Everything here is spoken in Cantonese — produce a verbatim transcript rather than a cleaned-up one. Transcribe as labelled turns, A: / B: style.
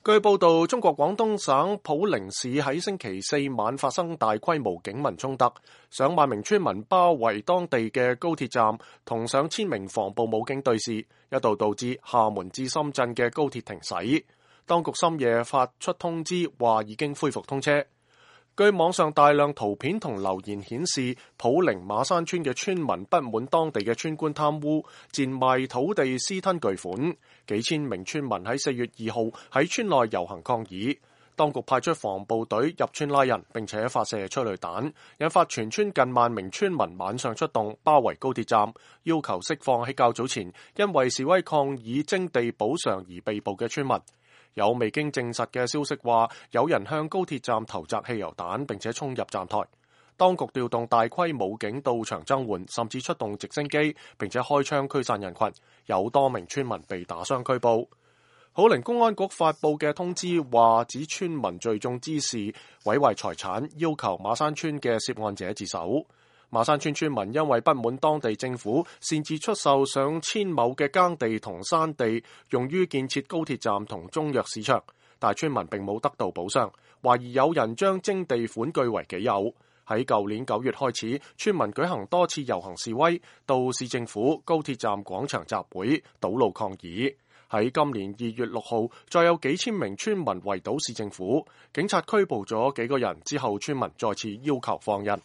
A: 據報道，中國廣東省普寧市喺星期四晚發生大規模警民衝突，上萬名村民包圍當地嘅高鐵站，同上千名防暴武警對峙，一度導致廈門至深圳嘅高鐵停駛。當局深夜發出通知，話已經恢復通車。據網上大量圖片同留言顯示，普寧馬山村嘅村民不滿當地嘅村官貪污，賤賣土地、私吞巨款。幾千名村民喺四月二號喺村內遊行抗議，當局派出防暴隊入村拉人，並且發射催淚彈，引發全村近萬名村民晚上出動包圍高鐵站，要求釋放喺較早前因為示威抗議徵地補償而被捕嘅村民。有未經證實嘅消息話，有人向高鐵站投擲汽油彈，並且衝入站台。當局調動大規武警到場增援，甚至出動直升機，並且開槍驅散人群。有多名村民被打傷拘捕。普寧公安局發布嘅通知話，指村民聚眾滋事，毀壞財產，要求馬山村嘅涉案者自首。馬山村村民因為不滿當地政府擅自出售上千畝嘅耕地同山地，用於建設高鐵站同中藥市場，但村民並冇得到補償，懷疑有人將徵地款據為己有。喺舊年九月開始，村民舉行多次遊行示威，到市政府、高鐵站廣場集會，堵路抗議。喺今年二月六號，再有幾千名村民圍堵市政府，警察拘捕咗幾個人之後，村民再次要求放人。